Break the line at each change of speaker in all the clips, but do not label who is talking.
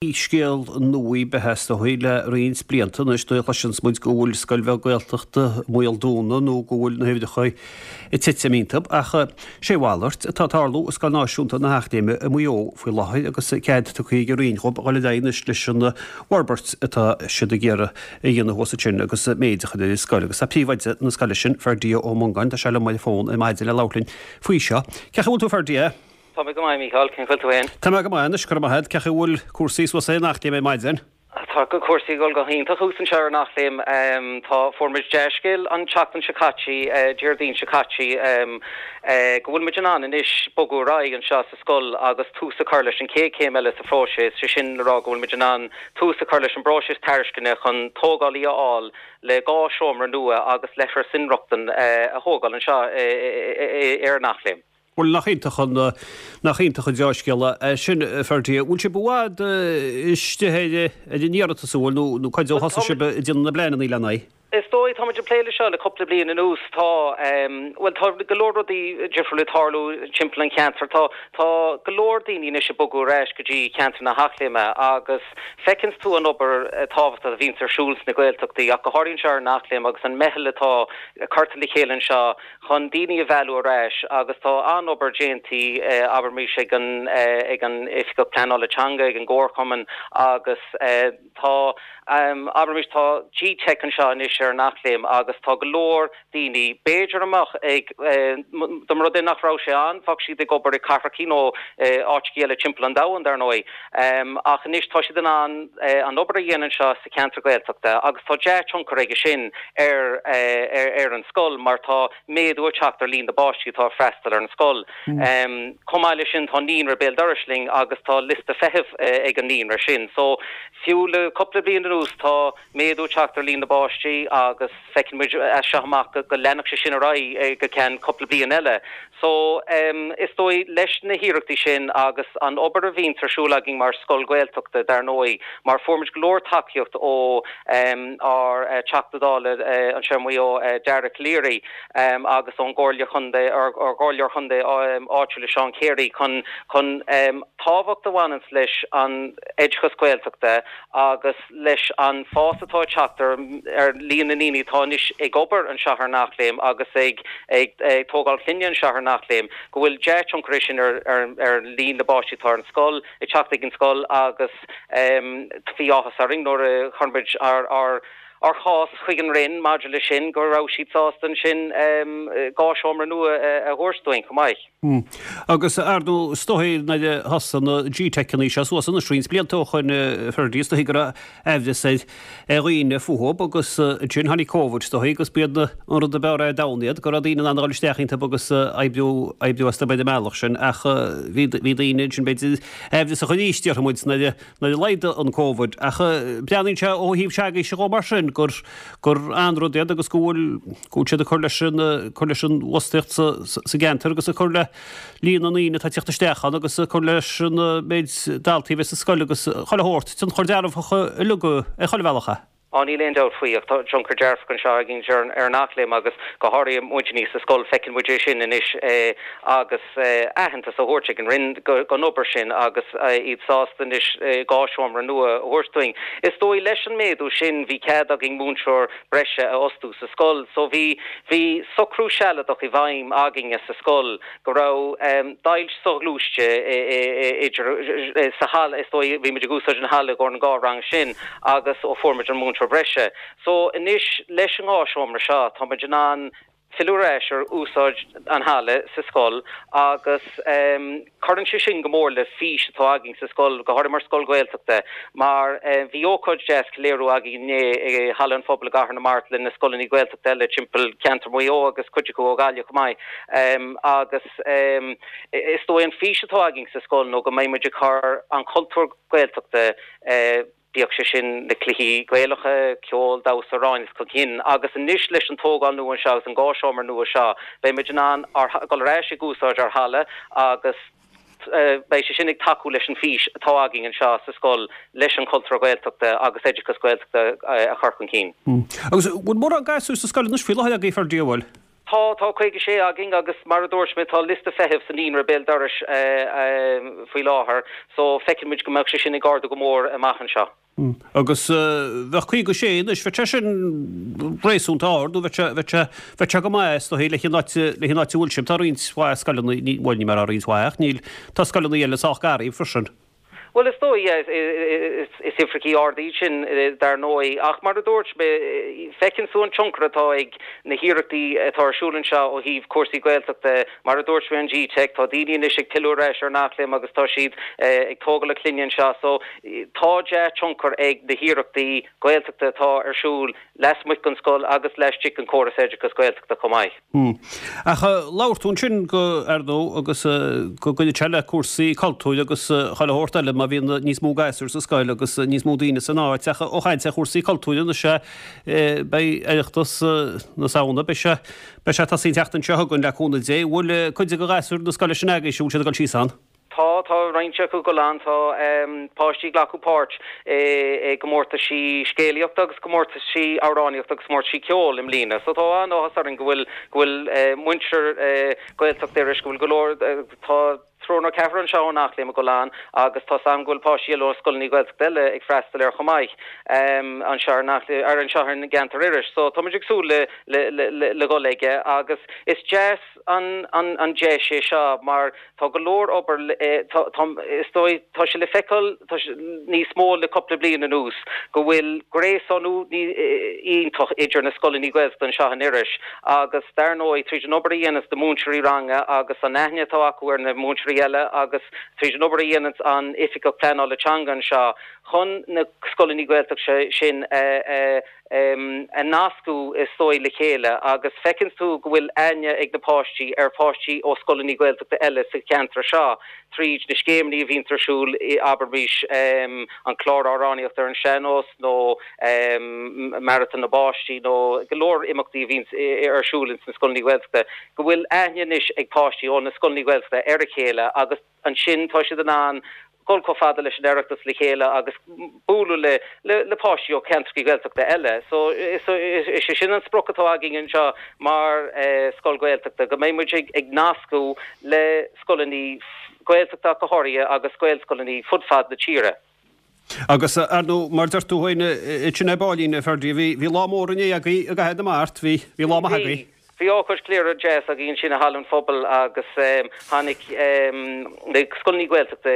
Scéal nua ar bith é is dóigh le roinnt blianta anois nuair a chloiseanns muid go bhfuil scoil bheag Gaeltachta i mbaol dúnadh nó go bhfuil na huimhreacha ag titim iontu. Ach sé a mhalairt atá ag tarlú i Scoil Náisiúnta na hEachléime i Maigh Eo faoi láthair agus cead tugtha ag an Roinn dhóibh dhul ar aghaidh anois leis an bhforbairt atá siad ag iarraidh a dhéanamh thuas ansin agus méid a chur ar an scoil. Agus tá príomhoide na scoile sin, Ferdia Ó Mongáin, tá sé liom ar an bhfón ar maidin le labhairt linn faoi seo. Cén chaoi a bhfuil tú Ferdia?
Tá mé go maith, a Mhícheáil. Cén chaoi a bhfuil tú féin?
Tá mé go maith anois, go raibh maith agat. Cén chaoi a bhfuil cúrsaí suas ar an Eachléim ar maidin?
Tá cúrsaí ag dul go hiontach thuas anseo ar an Eachléim. Tá, fuair muid dea-scéal an tseachtain seo caite, Déardaoin seo caite, go bhfuil muid in ann anois bogadh ar aghaidh anseo sa scoil agus tús a chur leis an chéad chéim eile sa phróiseas, sé sin le rá go bhfuil muid in ann tús a chur leis an bpróiseas tairisceana chun tógálaí a fháil le 2 seomra nua agus leithreas inrochtana a thógáil anseo ar an Eachléim.
Bhuel, nach iontach an, nach iontach an deá-scéala é sin, a Ferdia. Bhfuil sibh i bhfad istigh ar, ar an iarratas, an bhfuil, nó, nó cá fhad ó thosaigh sibh ag déanamh na bpleananna lena aghaidh?
Is dóigh, tá muid ag plé leis seo le cúpla bliain anuas. Tá, bhuel, tá go leor rudaí difriúla ag tarlú timpeall an cheantair. Tá, tá go leor daoine anois ag bogadh ar ais go dtí ceantar na hEachléime agus feiceanns tú an obair tábhachtach a bhíonns ar siúl sna Gaeltachtaí ach go háirithe anseo ar an Eachléim agus an meitheal atá curtha le chéile anseo chun daoine a mhealladh ar ais agus tá an-obair déanta, abraimis, ag an ag an Oifigeach Pleanála Teanga, ag an gComharchumann agus tá, abraimis, tá G-Teic anseo anois ar an Eachléim agus tá go leor daoine, b'fhéidir a mbeadh ag, dá mba rud é nach raibh sé ann, bheadh siad ag obair i cathrachaí nó áiteachaí eile timpeall an domhain, dar ndóigh. Ach anois tá siad in ann an obair a dhéanamh anseo sa cheantar Gaeltachta agus tá dea-tionchar aige sin ar ar an scoil mar tá méadú ag teacht ar líon na bpáistí atá ag freastal ar an scoil. Chomh maith leis sin tá naíonra béal dorais linn agus tá liosta feithimh ag an naíonra sin. So fiú le cúpla bliain anuas tá méadú ag teacht ar líon na bpáistí agus feiceann muid as seo amach go leanfadh sé sin ar aghaidh go ceann cúpla bliain eile. So, is dóigh, leis na hiarrachtaí sin agus an obair a bhíonns ar siúl againn mar scoil Ghaeltachta, dar ndóigh, mar fuair muid go leor tacaíocht ó ár Teachta Dála anseo i Maigh Eo, Dara Calleary, agus ón gComhairle Chontae, ár gComhairleoir Chontae áitiúil, Seán Carey, chun chun tábhacht a bhaineanns leis an oideachas Gaeltachta agus leis an fás atá ag teacht ar líon na ndaoine atá anois ag obair anseo ar an Eachléim agus ag tógáil clainne anseo ar an Eachléim, go bhfuil dea-tionchar é sin ar líon na bpáistí atá ar an scoil, ag teacht ag an scoil agus bhí áthas orainn nuair a chuir muid ár chás chuig an Roinn maidir leis sin go raibh siad sásta ansin 2 seomra nua a thabhairt dúinn chomh maith.
Agus ar ndóigh, is dóigh nuair a thosaigh na G-Teiceanna seo suas anois roinnt blianta ó shoin, Ferdia, is dóigh go raibh aimhreas ar dhaoine fúthu agus ansin tháinig Covid, is dóigh, agus b'iad an rud ab fhearr ar domhan iad, go raibh daoine in ann a dhul isteach iontu agus oibriú, oibriú astu ar an mbealach sin ach bhí, bhí daoine ansin b'fhéidir aimhreasach arís, déarfaidh muid, nuair a, nuair a laghdaigh an Covid. Ach breathnaíonn sé ó thaobh s'agaibhse dhó mar sin gur, gur an-rud iad agus go bhfuil, go bhfuil siad ag cur leis an, cur leis an bhfostaíocht sa, sa gceantar agus ag cur le líon na ndaoine atá ag teacht isteach ann agus ag cur leis an méid daltaí a bheidh sa scoil agus chuile shórt, tionchar dearfach uilig ar chuile bhealach é.
Á, níl aon dabht faoi ach tá tionchar dearfach anseo againn ar an Eachléim agus go háirithe muidinne sa scoil, feiceann muid é sin anois agus aitheantas á thabhairt ag an Roinn don obair sin agus iad sásta anois 2 seomra nua a thabhairt dúinn. Is dóigh leis an méadú sin bhí cead againn múinteoir breise a fhostú sa scoil. So bhí, bhí socrú sealadach i bhfeidhm againne sa scoil go raibh deighilt soghluaiste idir, sa halla, is dóigh, bhí muid ag úsáid an halla i gcomhair an dhá rang sin agus ó fuair muid an múinteoir breise. So anois leis an dhá seomra seo tá muid in ann filleadh ar ais ar úsáid an halla sa scoil agus cuireann sé sin go mór le fís atá againn sa scoil, go háirithe mar scoil Ghaeltachta, mar bhí ócáid deas ceiliúradh againn inné i Halla an Phobail i gCathair na Mart le na scoileanna Gaeltachta eile timpeall ceantar Mhaigh Eo agus cuid acu ó Ghaillimh chomh maith agus is dóigh an fís atá againn sa scoil nó go mbeidh muid ag cur an cultúr Gaeltachta bíodh sé sin na cluichí Gaelacha, ceol, damhsa, amhráin chun cinn. Agus anois leis an tógáil nua anseo agus an 2 seomra nua seo, beidh muid in ann dul ar ais ag úsáid ár halla agus beidh sé sin ag tacú leis an bhfís atá againn anseo sa scoil leis an chultúr Gaeltachta agus oideachas Gaeltachta a chur chun cinn.
Agus bhfuil mórán gasúir sa scoil anois faoi láthair agaibh, Ferdia, bhfuil?
Tá, tá 56 againn agus mar a dúirt mé tá liosta feithimh sa naíonra béal dorais faoi láthair so feiceann muid go mbeadh sé sin ag ardú go mór amach anseo.
Agus bheadh 56 anois, bheadh sé sin réasúnta ard nó bheadh sé, bheadh sé, bheadh sé go maith is dóigh leis an áit, leis an áit a bhfuil sibh. Tá roinnt mhaith scoileanna, ní, bhuel ní mar roinnt mhaith ach níl, tá scoileanna eile sách gar daoibh freisin.
Bhuel is dóigh, yeah, is uimhreachaí arda iad sin dar ndóigh ach mar a dúirt mé, feiceann tú an tionchar atá ag na hiarrachtaí atá ar siúl anseo ó thaobh cúrsaí Gaeltachta. Mar a dúirt mé an GTeic, tá daoine anois ag pilleadh ar ais ar an Eachléim agus tá siad ag tógáil a clainne anseo so tá dea-tionchar ag na hiarrachtaí Gaeltachta atá ar siúl lasmuigh den scoil agus laistigh den chóras oideachais Gaeltachta chomh maith.
Ach labhair tú ansin go, ar ndóigh, agus go gcuireann sé le cúrsaí cultúir agus chuile shórt eile má bhíonn níos mó gasúr sa scoil agus níos mó daoine san áit. Ach ó chaint ar chúrsaí cultúir anois, beidh Oireachtas na Samhna, beidh sé, beidh sé ag tosaí an tseachtain seo chugainn le cúnamh Dé. Bhfuil cuid de ghasúir na scoile sin agaibhse, bhfuil siad ag dul síos ann?
Tá, tá roinnt acu ag dul ann. Tá páistí ag glacadh páirt i gcomórtaisí scéalaíochta agus comórtaisí amhránaíochta agus comórtaisí ceoil i mbliana. So tá an-áthas orainn go bhfuil, go bhfuil muintir Ghaeltacht Iorrais, go bhfuil go leor, tá triúr nó ceathrar anseo ón Eachléim ag dul ann agus tá's a'm go bhfuil páistí eile ó scoileanna Gaeltachta eile ag freastal air chomh maith anseo ar an Eachléim, ar anseo ar an gceantar Iorrais. So tá muid ag súil le, le, le, le dhul aige agus is deas an, an, an deis é seo mar Tá go leor obair, tá, is dóigh, tá sé le feiceáil níos mó le cúpla bliain anuas go bhfuil gréasánú iontach idir na scoileanna Gaeltachta anseo in Iorrais agus dar ndóigh tríd an obair a dhéananns na múinteoirí ranga agus an aithne atá acu ar na múinteoirí eile agus tríd an obair a dhéananns an Oifigeach Pleanála Teanga anseo chun na scoileanna Gaeltachta sin a a nascadh is dóigh le chéile agus feiceanns tú go bhfuil aithne ag na páistí ar pháistí ó scoileanna Gaeltachta eile sa cheantar seo tríd na scéimeanna a bhíonns ar siúl, abraimis an clár amhránaíochta ar an sean-nós nó Maratón na bPáistí nó go leor imeachtaí a bhíonns ar siúl ins na scoileanna Gaeltachta, go bhfuil aithne anois ag páistí ó na scoileanna Gaeltachta ar a chéile agus. Ansin tá siad in ann dul chomh fada leis an Oireachtas le chéile agus bualadh le le páistí ó cheantracha Gaeltachta eile. So is é sin an sprioc atá againn anseo mar scoil Ghaeltachta, go mbeidh muid ag nascadh le scoileanna Gaeltachta ach go háirithe agus Gaelscoileanna fud fad na tíre.
Agus, ar ndóigh, mar deir tú féin, sin é Báilín, a Ferdie, bhí, bhí lá mór inné agaibh i gCathair na Mart, bhí, bhí lá maith agaibh.
Bhí. Bhí ócáid ceiliúradh deas againn ansin i Halla an Phobail agus tháinig na scoileanna Gaeltachta,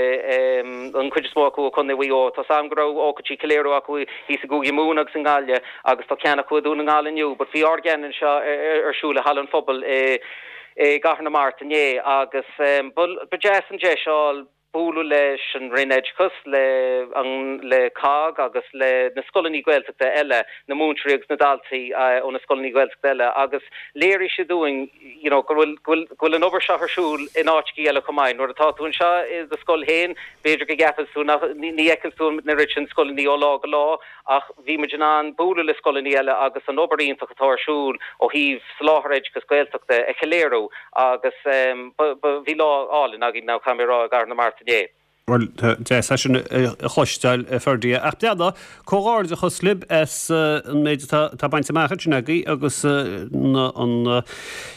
an chuid is mó acu ó Chontae Mhaigh Eo. Tá's a'm go raibh ócáidí ceiliúradh acu thíos i gCúige Mumhan agus i nGaillimh agus tá ceann acu i Dún na nGall inniu. But bhí ár gceann anseo ar siúl i Halla an Phobail i gCathair na Mart inné agus ba deas an deis a fháil bualadh leis an Roinn Oideachais, le an, le COGG agus le na scoileanna Gaeltachta eile, na múinteoirí agus na daltaí ó na scoileanna Gaeltachta eile agus léirigh siad dúinn you know go bhfuil, go bhfuil, go bhfuil an obair seo ar siúl in áiteachaí eile chomh maith. Nuair atá tú anseo i do scoil féin, b'fhéidir go gceapann tú nach, ní fheiceann tú an oiread sin scoileanna ó lá go lá ach bhí muid in ann bualadh le scoileanna eile agus an obair iontach atá ar siúl ó thaobh soláthar oideachais Gaeltachta a cheiliúradh agus bhí lá álainn againn now caithfidh mé a rá i gCathair na Mart inné.
Bhuel, deas é sin a chloisteáil, a Ferdie. Ach breathnaigh, comhghairdeachas libh as an méid atá bainte amach ansin agaibh agus an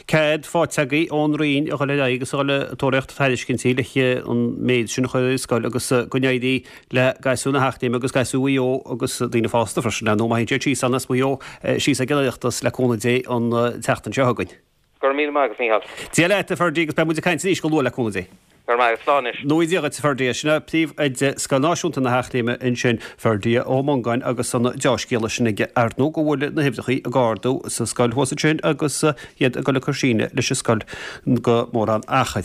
cead faighte agaibh ón Roinn a dhul ar aghaidh agus a dhul ag tóraíocht tairiscintí le an méid sin a chur ar an scoil agus go n-éirí le gasúir na hEachléime agus gasúir Mhaigh Eo agus daoine fásta freisin, ar ndóigh, má théann siad síos ann as Maigh Eo síos ag an Oireachtas le cúnamh Dé an tseachtain seo chugainn.
Go raibh míle maith agat, Mícheál.
Dia leat, a Ferdie, agus beidh muid ag caint arís go luath le cúnamh Dé.
Go raibh maith agat. Slán anois.
Noí Dia dhuit, a Ferdie. Sin é Príomhoide Scoil Náisiúnta na hEachléime ansin, Ferdie Ó Mongáin, agus an deá-scéala sin aige, ar ndóigh, go bhfuil na huimhreachaí ag ardú sa scoil thuas ansin agus iad ag dul ag cur síneadh leis an scoil go mórán achair.